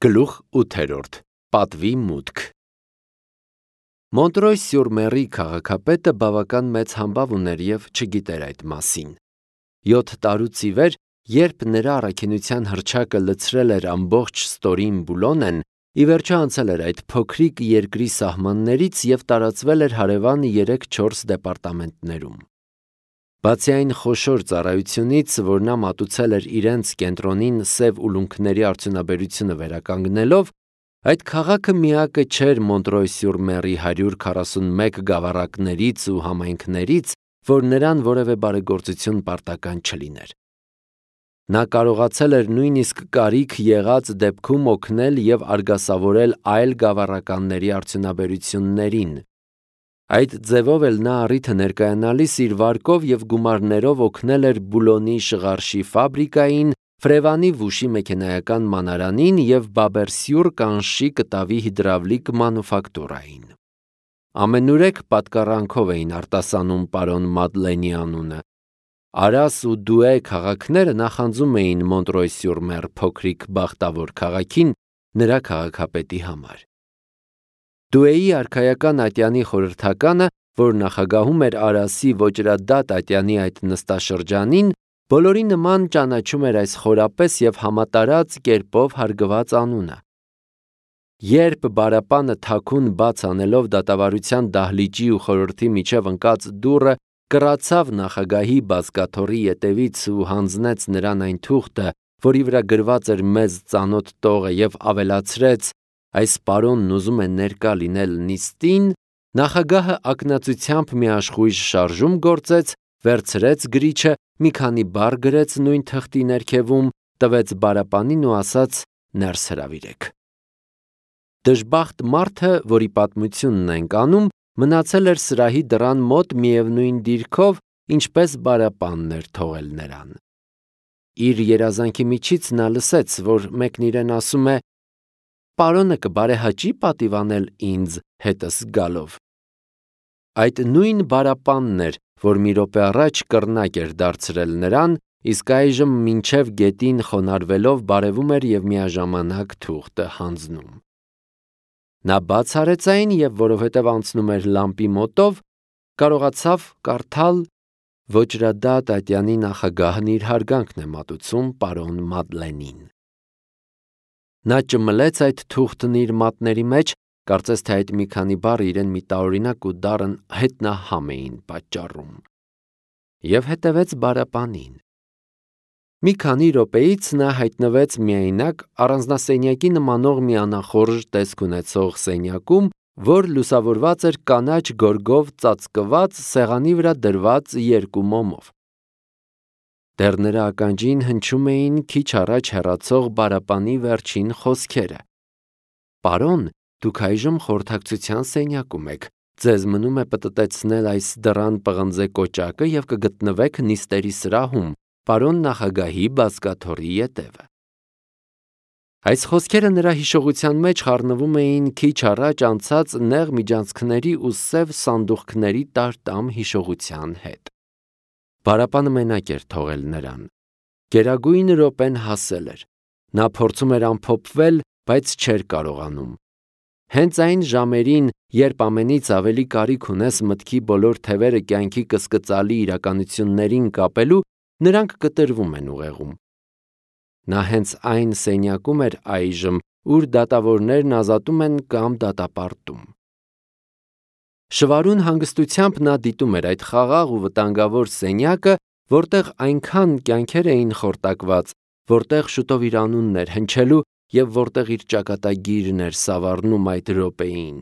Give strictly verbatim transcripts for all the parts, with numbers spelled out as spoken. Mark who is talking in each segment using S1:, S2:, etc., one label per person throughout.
S1: Գլուխ ութերորդ. Պատվի մուտք Մոնտրոյ-սյուր-Մերի քաղաքապետը բավական մեծ համբավ ուներ և չգիտեր այդ մասին: Յոթ տարուց ի վեր, երբ նրա առաքինության հռչակը լցրել էր ամբողջ ստորին Բուլոնեն, ի վերջո անցել էր այդ փոքրիկ երկրի սահմաններից և տարածվել էր հարևան երեք-չորս դեպարտամենտներում: Բացի այն խոշոր ծառայությունից, որ նա մատուցել էր իրենց կենտրոնին սև ուլունքների արդյունաբերությունը վերականգնելով, այդ քաղաքը միակը չէր Մոնտրոյ-սյուր-Մերի հարյուր քառասունմեկ գավառակներից ու համայնքներից, որ նրան որևէ բարեգործություն պարտական չլիներ: Նա կարողացել էր նույնիսկ կարիք եղած դեպքում օգնել և արգասավորել այլ գավառականների արդյունաբերություններին: Այդ ձևով էլ նա առիթը ներկայանալիս իր վարկով և գումարներով օգնել էր Բուլոնի շղարշի ֆաբրիկային, Ֆրևանի վուշի մեքենայական մանարանին և Բաբեր-սյուր կանշի կտավի հիդրավլիկ մանուֆակտուրային: Ամենուրեք պատկառանքով էին արտասանում պարոն Մադլենի անունը: Արաս ու Դուէ քաղաքները նախանձում էին Մոնտրոյ-սյուր-Մեր փոքրիկ բախտավոր քաղաքին նրա քաղաքապետի համար: Դուէի արքայական ատյանի խորհրդականը, որ նախագահում էր Արասի ոճրադատ ատյանի այդ նստաշրջանին, բոլորի նման ճանաչում էր այս խորապես և համատարած կերպով հարգված անունը: Երբ բարապանը թաքուն բաց անելով դատավարության դահլիճի ու խորհրդի միջև ընկած դուռը կռացավ նախագահի բազկաթոռի ետևից ու հանձնեց նրան այն թուղթը, որի վրա գրված էր մեզ ծանոթ տողը և ավելացրեց. «Այս պարոնն ուզում է ներկա լինել նիստին», նախագահը ակնածությամբ մի աշխույժ շարժում գործեց, վերցրեց գրիչը, մի քանի բառ գրեց նույն թղթի ներքևում, տվեց բարապանին ու ասաց. «Ներս հրավիրեք»: Դժբախտ մարդը, որի պատմությունն ենք անում, մնացել էր սրահի դռան մոտ միևնույն դիրքով, ինչպես բարապանն էր թողել նրան: Իր երազանքի միջից նա լսեց, որ մեկն իրեն ասում է. «Պարոնը կբարեհաճի՞ պատիվ անել ինձ հետս գալով»: Այդ նույն բարապանն էր, որ մի րոպե առաջ կռնակ էր դարձրել նրան, իսկ այժմ մինչև գետին խոնարհվելով բարևում էր և միաժամանակ թուղթը հանձնում: Նա բաց արեց այն և որովհետև անցնում էր լամպի մոտով, կարողացավ կարդալ. «Ոճրադատ ատյանի նախագահն իր հարգանքն է մատուցում պարոն Մադլենին»: Նա ճմլեց այդ թուղթն իր մատների մեջ, կարծես թե այդ մի քանի բառը իրեն մի տարօրինակ ու դառն հետնահամ էին պատճառում: Եվ հետևեց բարապանին: Մի քանի րոպեից նա հայտնվեց միայնակ առանձնասենյակի նմանող մի անախորժ տեսք ունեցող սենյակում, որ լուսավորված էր կանաչ գորգով ծածկված, սեղանի վրա դրված երկու մոմով: Դեռ նրա ականջին հնչում էին քիչ առաջ հեռացող բարապանի վերջին խոսքերը. «Պարոն, դուք այժմ խորհրդակցության սենյակում եք, ձեզ մնում է պտտեցնել այս դռան պղնձե կոճակը և կգտնվեք նիստերի սրահում, պարոն նախագահի բազկաթոռի ետևը»: Այս խոսքերը նրա հիշողության մեջ խառնվում էին քիչ առաջ անցած նեղ միջանցքների ու սև սանդուղքների տար-տամ հիշողության հետ: Բարապանը մենակ էր թողել նրան: Գերագույն րոպեն հասել էր: Նա փորձում էր ամփոփվել, բայց չէր կարողանում: Հենց այն ժամերին, երբ ամենից ավելի կարիք ունես մտքի բոլոր թևերը կյանքի կասկածելի իրականություններին կապելու, նրանք կտրվում են ուղեղում: Նա հենց այն սենյակում էր այժմ, ուր դատավորներն ազատում են կամ դատապարտում: Շվարուն հանգստությամբ նա դիտում էր այդ խաղաղ ու վտանգավոր սենյակը, որտեղ այնքան կյանքեր էին խորտակված, որտեղ շուտով իր անունն էր հնչելու և որտեղ իր ճակատագիրն էր սավառնում այդ րոպեին: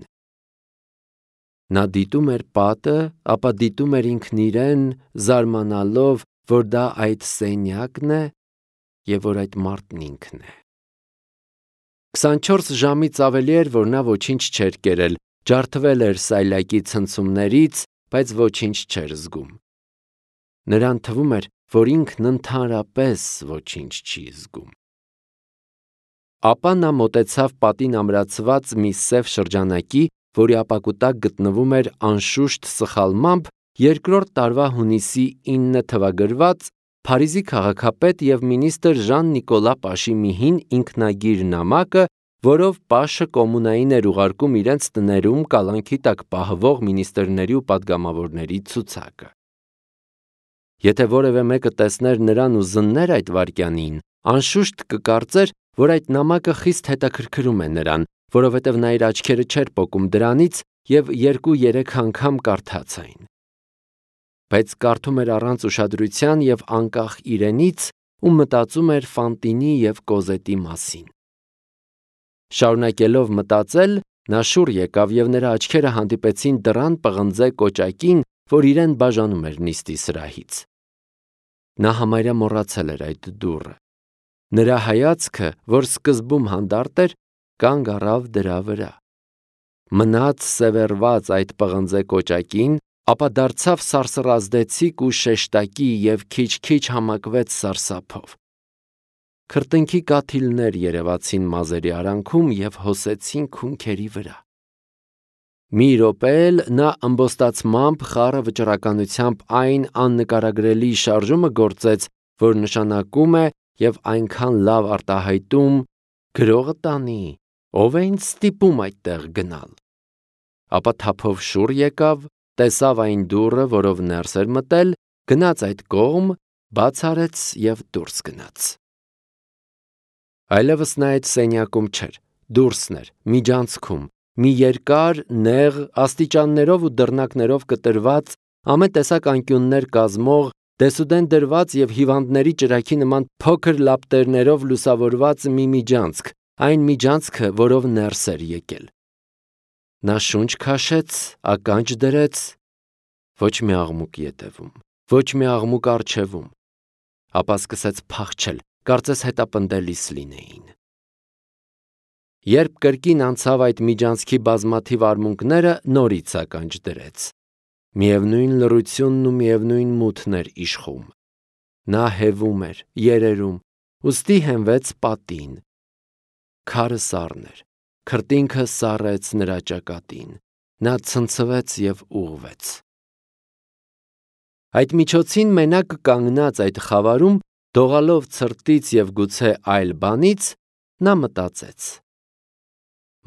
S1: Նա դիտում էր պատը, ապա դիտում էր ինքն իրեն, զարմանալով, որ դա այդ սենյակն է և որ այդ մարդն ինքն է: քսանչորս ժամից ավելի էր, որ նա ոչինչ չէր կերել, ջարդվել էր սայլակի ցնցումներից, բայց ոչինչ չէր զգում: Նրան թվում էր, որ ինքն ընդհանրապես ոչինչ չի զգում: Ապա նա մոտեցավ պատին ամրացված մի սև շրջանակի, որի ապակու տակ գտնվում էր անշուշտ սխալմամբ երկրորդ տարվա հունիսի ինը թվագրված Փարիզի քաղաքապետ և մինիստր Ժան Նիկոլա Պաշի մի հին ինքնագիր նամակը, որով Պաշը կոմունային էր ուղարկում իրենց տներում կալանքի տակ պահվող մինիստրների ու պատգամավորների ցուցակը։ Եթե որևէ մեկը տեսներ նրան ու զններ այդ վայրկյանին, անշուշտ կկարծեր, որ այդ նամակը խիստ հետաքրքրում է նրան, որովհետև նա իր աչքերը չէր պոկում դրանից և երկու-երեք անգամ կարդաց այն։ Բայց կարդում էր առանց ուշադրության և անկախ իրենից ու մտածում էր Ֆանտինի և Կոզետի մասին։ Շարունակելով մտածել, նա շուռ եկավ և նրա աչքերը հանդիպեցին դռան պղնձե կոճակին, որ իրեն բաժանում էր նիստի սրահից։ Նա համարյա մոռացել էր այդ դուռը։ Նրա հայացքը, որ սկզբում հանդարտ էր, կանգ առավ դրա վրա։ Մնաց սևեռված այդ պղնձե կոճակին, ապա դարձավ սարսռազդեցիկ ու շեշտակի և քիչ-քիչ համակվեց սարսափով։ Քրտինքի կաթիլներ երևացին մազերի արանքում և հոսեցին քունքերի վրա։ Մի րոպե էլ նա ըմբոստացմամբ խառը վճռականությամբ այն աննկարագրելի շարժումը գործեց, որ նշանակում է և այնքան լավ արտահայտում. «Գրողը տանի, ով է ինձ ստիպում այդտեղ գնալ»։ Ապա թափով շուռ եկավ, տեսավ այն դուռը, որով ներս էր մտել, գնաց այդ կողմ, բաց արեց և դուրս գնաց։ Այլևս նա այդ սենյակում չէր, դուրսն էր, միջանցքում, մի երկար, նեղ, աստիճաններով ու դռնակներով կտրված, ամեն տեսակ անկյուններ կազմող, դեսուդեն դրված և հիվանդների ճրագի նման փոքր լապտերներով լուսավորված մի միջանցք, այն միջանցքը, որով ներս էր եկել։ Նա շունչ քաշեց, ականջ դրեց, ոչ մի աղմուկ ետևում, ոչ մի աղմուկ առջևում, ապա սկսեց փախչել, կարծես հետապնդելիս լինեին։ Երբ կրկին անցավ այդ միջանցքի բազմաթիվ արմունկները, նորից ականջ դրեց։ Միևնույն լռությունն ու միևնույն մութն էր իշխում։ Նա հևում էր, երերում, ուստի հենվեց պատին։ Քարը սառն էր, քրտինքը սառեց նրա ճակատին, նա ցնցվեց և ուղղվեց։ Այդ միջոցին մենակ կանգնած այդ խավարում, դողալով ցրտից և գուցե այլ բանից, նա մտածեց։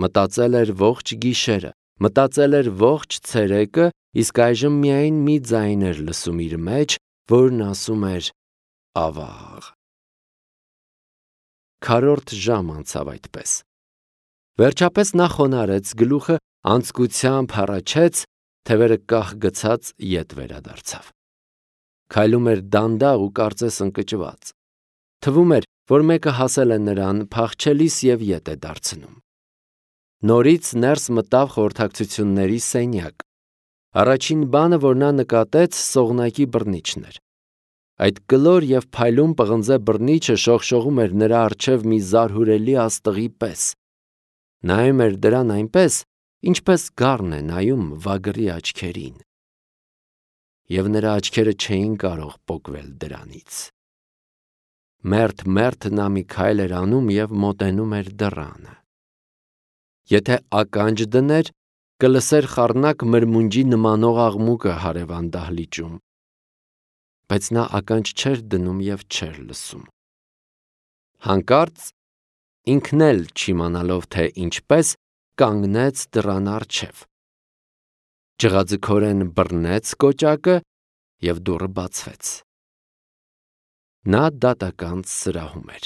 S1: Մտածել էր ողջ գիշերը, մտածել էր ողջ ցերեկը, իսկ այժմ միայն մի ձայն էր լսում իր մեջ, որն ասում էր. «Ավաղ»։ Քառորդ ժամ անցավ այդպես։ Վերջապես նա խոնարհեց գլուխը, անձկությամբ հառաչեց, թևերը կախ գցած ետ վերադարձավ։ Քայլում էր դանդաղ ու կարծես ընկճված։ Թվում էր, որ մեկը հասել է նրան, փախչելիս և ետ է դարձնում։ Նորից ներս մտավ խորհրդակցությունների սենյակ։ Առաջին բանը, որ նա նկատեց, սողնակի բռնիչն էր։ Այդ կլոր և փայլուն պղնձե բռնիչը շողշողում էր նրա առջև մի զարհուրելի աստղի պես։ Նայում էր դրան այնպես, ինչպես գառն է նայում վագրի աչքերին։ Եվ նրա աչքերը չէին կարող պոկվել դրանից։ Մերթ-մերթ նա մի քայլ էր անում և մոտենում էր դռանը։ Եթե ականջ դներ, կլսեր խառնակ մրմունջի նմանող աղմուկը հարևան դահլիճում։ Բայց նա ականջ չէր դնում և չէր լսում։ Հանկարծ, ինքն էլ չիմանալով թե ինչպես, կանգնեց դռան առջև։ Ջղաձգորեն բռնեց կոճակը և դուռը բացվեց։ Նա դատական սրահում էր։